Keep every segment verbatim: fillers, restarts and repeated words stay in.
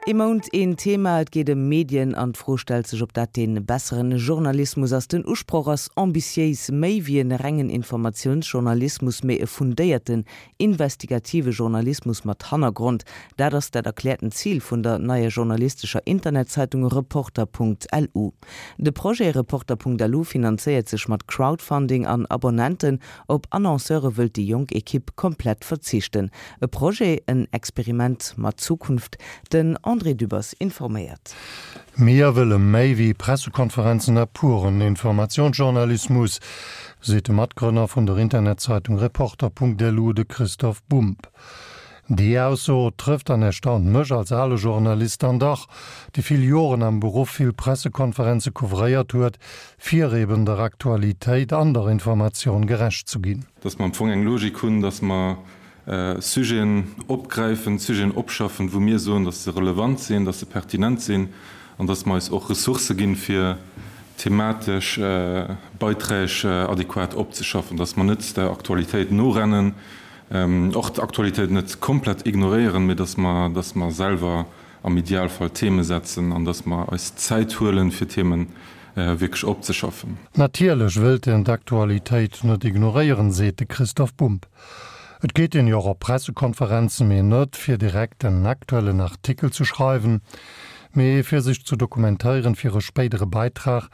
Ee Mount, een Thema, et geet ëm Medien an d'Fro stellt sech, ob dat dee besseren Journalismus ass. Den Usproch ass ambitiéis, méi wéi e rengen Informatiounsjournalismus, mee e fundéierten, investigative Journalismus mat Hannergrond. Dat ass dat erkläerten Zil vun der neier journalistescher Internetzeitung Reporter.lu. De Projet Reporter.lu finanzéiert sech mat Crowdfunding an Abonnenten, op Annonceure wëllt déi jonk Ekipp komplett verzichten. E Projet, en Experiment mat Zukunft. Den André Dübbers informéiert. Mir wëlle méi wéi Pressekonferenzen a puren Informationsjournalismus, seet de Matgrënner vun der Internetzeitung Reporter.lu, de Christoph Bumb. Déi Ausso trëfft an erstaunt mech als ale Journalist dann dach, dee vill Joren am Beruff vill Pressekonferenze couvréiert huet, fir eben der Aktualitéit an der Informatioun gerecht ze ginn. Dass mer am Fong eng Logik hunn, dass mer Sujeten opgräifen, Sujeten opschaffen, wou mir soen, dass se relevant sinn, dass se pertinent sinn an dass mer eis och Ressourcë ginn, fir thematesch Beiträg adequat opzeschaffen, dass mer net der Aktualitéit norennen, och d'Aktualitéit net komplett ignoréieren, mee dass mer, dass mer selwer am Idealfall Theme setzen an dass mer eis Zäit huelen, fir Themen wierklech opzeschaffen. Natierlech wëllt een d'Aktualitéit net ignoréieren, seet de Christoph Bumb. Et geet een jo och op Pressekonferenzen, mee net fir direkt en aktuellen Artikel ze schreiwen, mee fir sech ze dokumentéieren fir e spéidere Beitrag,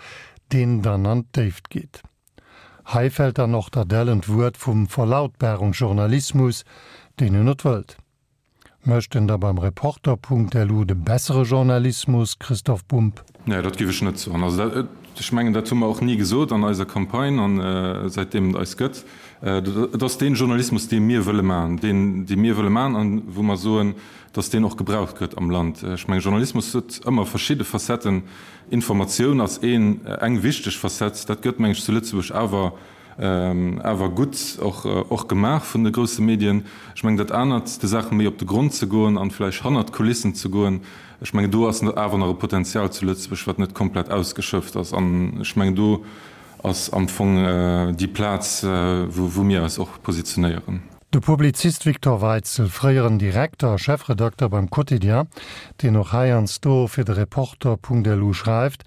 deen dann an d'Déift geet. Hei fält dann och dat ellent Wuert vum Verlautbarungsjournalismus, deen een net wëllt. Mécht en da beim Reporter.lu de bessere Journalismus, Christoph Bumb? Nee, dat géif ech net soen. Also dat, ech mengen, dat hu mer och ni gesot an eiser Campagne an säitdeem et eis gëtt. Et ass dee Journalismus, dee mir wëlle maachen, deen, dee mir wëlle maachen an wou mer soen, dass deen och gebraucht gëtt am Land. Ech mengen, Journalismus huet ëmmer verschidde Facetten. Informatioun ass een, eng wichteg Facette. Dat gëtt, meng ech, zu Lëtzebuerg awer, awer gutt och, och gemaach vun de grousse Medien. Ech mengen, dat anert, de Saache méi op de Grond ze goen an vläicht hannert d'Kulissen ze goen, ech mengen, do ass awer nach e Potenzial zu Lëtzebuerg, wat net komplett ausgeschöpft ass. An ech mengen, do ass am Fong déi Plaz, wou, wou mir eis och positionéieren. De Publizist Victor Weitzel, fréieren Direkter a Chefredakter beim Quotidien, deen och heiansdo fir de Reporter.lu schreift,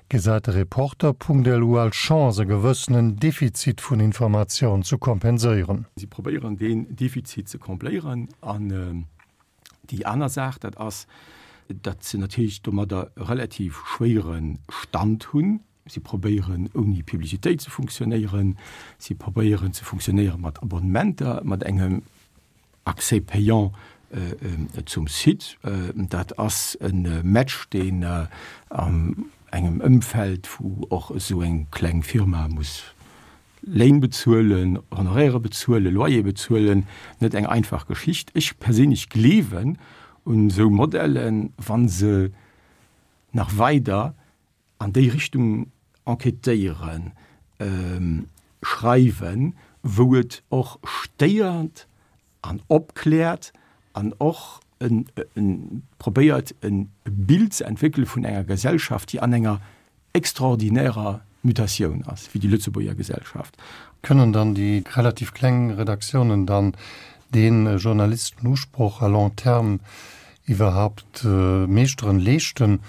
gesäit de Reporter.lu als Chance, e gewëssenen Defizit vun Informatioun ze kompenséieren. Si probéieren deen Defizit ze combléieren. An déi aner Saach, dat ass, datt se natierlech domadder e relativ schwéiere Stand hunn. Si probéieren ouni Publicitéit ze funktionéieren. Si probéieren ze funktionéiere mat Abonnementer, mat engem Accès payant zum Site. Dat ass e Match, deen an engem Ëmfeld, wou och esou eng kleng Firma muss Léin bezuelen, Honoraire bezuelen, Loyer bezuelen, net eng einfach Geschicht. Ech perséinlech gleewen un esou Modellen, wa se nach weider an déi Richtung enquêtéieren, schreiwen, wou et och stéiert an opkläert an och probéiert e Bild ze entwéckele vun enger Gesellschaft, déi an enger extraordinärer Mutatioun ass, wéi déi Lëtzebuerger Gesellschaft. Kënnen dann déi relativ kleng Redaktiounen dann dee Journalistenusproch à long terme iwwerhaupt meeschteren, leeschten,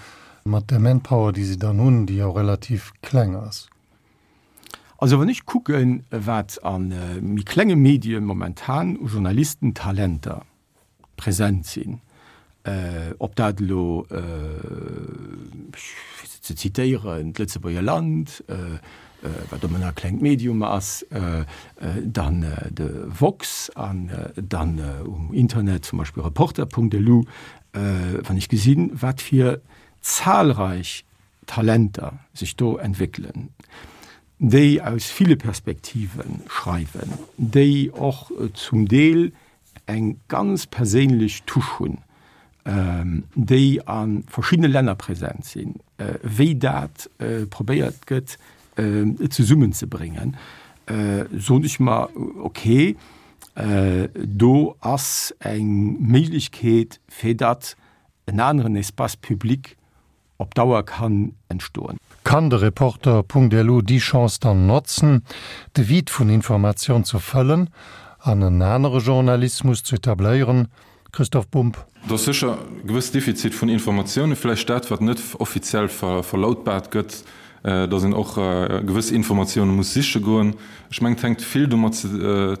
mat der Manpower, déi se dann hunn, déi jo relativ kleng ass? Also wann ech kucken, wat a méi klenge Medie momentan u Journalistentalenter present sinn, ob dat elo, fir se ze zitéieren, d'Lëtzebuerger Land, wat ëmmer nach e klengt Medium ass, dann de Woxx an dann um Internet zum Beispill Reporter.lu, wann ech gesinn, wat fir zahlreich Talenter sech do entwéckelen, déi aus ville Perspektive schreiwen, déi och zum Deel eng ganz perséinlech Touche hunn, déi a verschiddene Länner present sinn, wéi dat probéiert gëtt zesummenzebréngen, soen ech mer, okay, do ass eng Méiglechkeet, fir datt en aneren Espace public op Dauer kann entstoen. Kann de Reporter.lu déi Chance dann notzen, de Vide vun Informatioun ze fëllen an en anere Journalismus ze etabléieren? Christoph Bumb. Et ass sécher e gewësst Defizit vun Informatiounen, vläicht dat, wat net offiziell verlautbaart gëtt, dass een och gewëss Informatioune muss siche goen. Ech mengen, et hänkt vill domat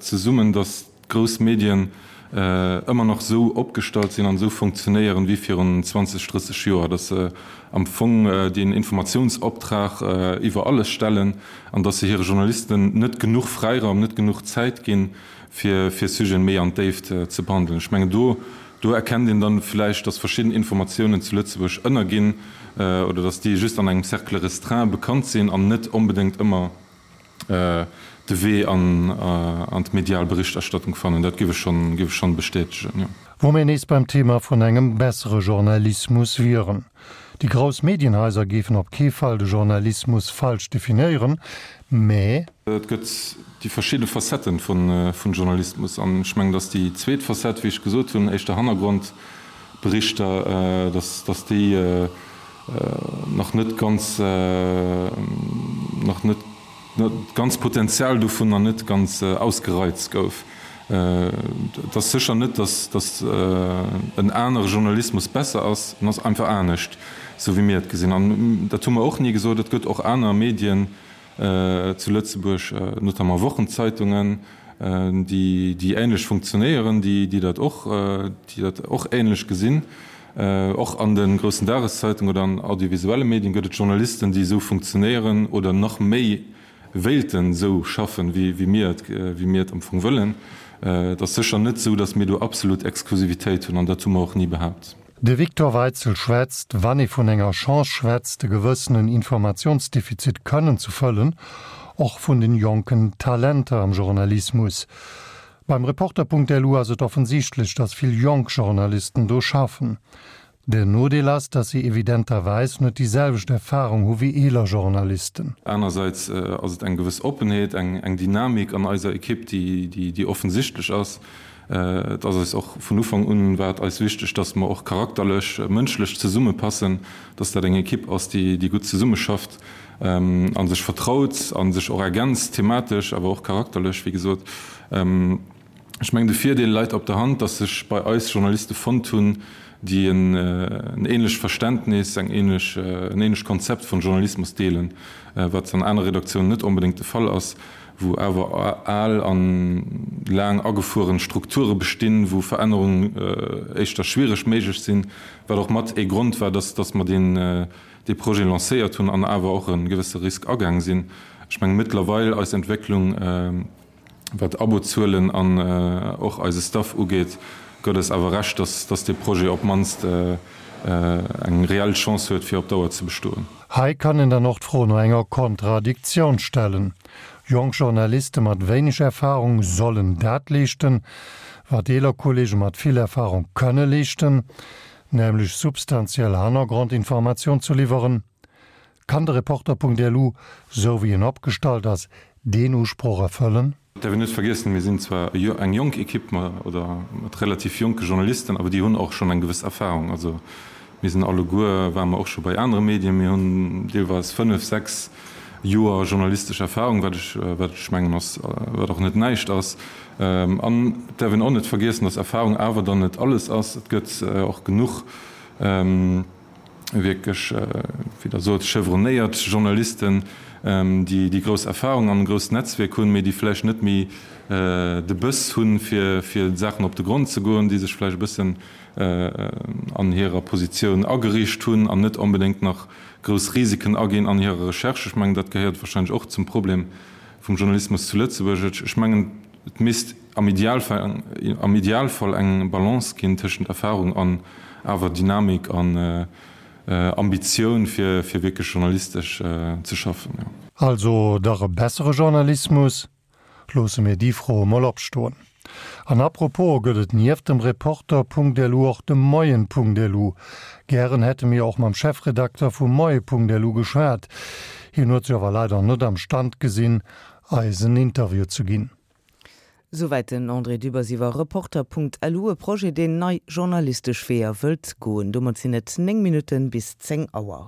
zesummen, dass d'grouss Medien ëmmer nach esou opgestallt sinn an esou funktionéieren wéi virun zwanzeg, drësseg Joer, dass se am Fong deen Informatiounsoptrag iwwer alles stellen an dass se hire Journalisten net genuch Fräiraum, net genuch Zäit ginn, fir Sujeten méi an d'Déift ze behandelen. Ech mengen, do do erkennt een dann vläicht, dass verschidden Informatiounen zu Lëtzebuerg ënnerginn oder dass déi just an engem Cercle restreint bekannt sinn an net onbedéngt ëmmer de Wee an d'medial Berichterstattung fannen. Dat géif ech schonn, géif ech schonn bestätegen, jo. Wou mir nees beim Thema vun engem bessere Journalismus wieren. Déi grouss Medienhaiser géifen op kee Fall de Journalismus falsch definéieren, mä. Et gëtt déi verschidde Facetten vun Journalismus an ech mengen, datt déi zweet Facette, wéi ech gesot hunn, éischter Hannergrondberichter, datt datt déi nach net ganz, nach net d'ganz Potenzial dovun nach net ganz ausgereizt gouf. Et ass sécher net, datt datt en anere Journalismus besser ass, en ass einfach anescht, esou wéi mir et gesinn. An dat hu mer och ni gesot, et gëtt och aner Medien zu Lëtzebuerg, notamment Wochenzeitungen, déi déi änlech funktionéieren, déi déi dat och déi dat och änlech gesinn. Och an de groussen Dageszeitungen oder an audiovisuelle Medien gëtt et Journalisten, déi esou funktionéieren oder nach méi wéilten esou schaffen, wéi mir et, wéi mir et am Fong wëllen. Et ass sécher net esou, datt mir do absolut Exklusivitéit hunn, an dat hu mer och ni behaapt. De Victor Weitzel schwätzt, wann ee vun enger Chance schwätzt, e gewëssenen Informationsdefizit kënnen ze fëllen, och vun den jonken Talenter am Journalismus. Beim Reporter.lu ass et offensichtlech, datt vill jonk Journalisten do schaffen. Den Nodeel ass, datt si evidenterweis net déi selwecht Erfarung hu wéi eeler Journalisten. Anersäits ass et eng gewëss Oppenheet, eng Dynamik an eiser Ekipp, déi offensichtlech ass. Et ass eis och vun Ufank un war et eis wichteg, datt mer och charakterlech, mënschlech zesummepassen, datt dat eng Ekipp ass, déi gutt zesummeschafft a sech vertraut a sech och ergänzt, thematesch, awer och charakterlech, wéi gesot. Ech mengen, de Virdeel läit op der Hand, datt sech bei eis Journaliste fonnt hunn, déi en ähnlecht Verständnis, eng ähnlech, en ähnlecht Konzept vun Journalismus deelen, wat an anere Redaktiounen net onbedéngt de Fall ass, wou awer al an laang agefueren Strukture bestinn, wou Verännerungen éischter schwiereg méiglech sinn, wat och mat ee Grond war, dass, dass mer deen, dee Projet lancéiert hunn an awer och e gewësse Risk agaang sinn. Ech mengen, mëttlerweil eis Entwécklung, Wat Abozuelen an och eise Staff ugeet, gëtt eis awer Recht, dass dee Projet op d'mannst eng reell Chance huet, fir op Dauer ze bestoen. Hei kann een dann och d'Fro no enger Kontradiktioun stellen. Jonk Journaliste mat wéineg Erfarung sollen dat leeschten, wat eeler Kollege mat vill Erfarung kënne leeschten, nämlech substantiell Hannergrondinformatioun ze liwweren. Kann de Reporter.lu, sou wéi en opgestallt ass, deen Usproch erfëllen? Et däerf een net vergiessen, mir sinn zwar eng jonk Ekipp oder mat relativ jonke Journalisten, awer déi hunn och schonn eng gewëss Erfahrung. Also mir sinn alleguer, ware mer och scho bei anere Medien, mir hunn deelweis fënnef, sechs Joer journalistesch Erfahrung, wat ech, wat ech mengen ass, wat och net näischt ass. An et däerf een och net vergiessen, datt Erfahrung awer dann net alles ass. Et gëtt och genuch wierklech, wéi Der sot, chevronnéiert Journalisten, déi déi grouss Erfahrung an e grousst Netzwierk hunn, mee déi vläicht net méi de Bëss hunn, fir fir Saachen op de Grond ze goen, déi sech vläicht e bëssen an hirer Positioun ageriicht hunn an net onbedéngt nach grouss Risiken aginn an hirer Recherche. Ech mengen, dat gehéiert wahrscheinlech och zum Problem vum Journalismus zu Lëtzebuerg. Ech mengen, et misst am Idealfall, am Idealfall eng Balance ginn tëschent Erfahrung an awer Dynamik an Ambitioun fir fir wierklech journalistesch ze schaffen, jo. Also dach e bessere Journalismus? Loosse mir déi Fro emol opstoen. An apropos, gëtt et nieft dem Reporter.lu och de Moien.lu? Gären hätte mir och mam Chefredakter vum Moie.lu geschwat. Hien huet sech awer leider net am Stand gesinn, eis en Interview ze ginn. Souwäit den André Dübbers iwwer Reporter.lu, e Projet, deen nei journalistesch Weeër wëllt goen. Domat sinn et néng Minutten bis zéng Auer.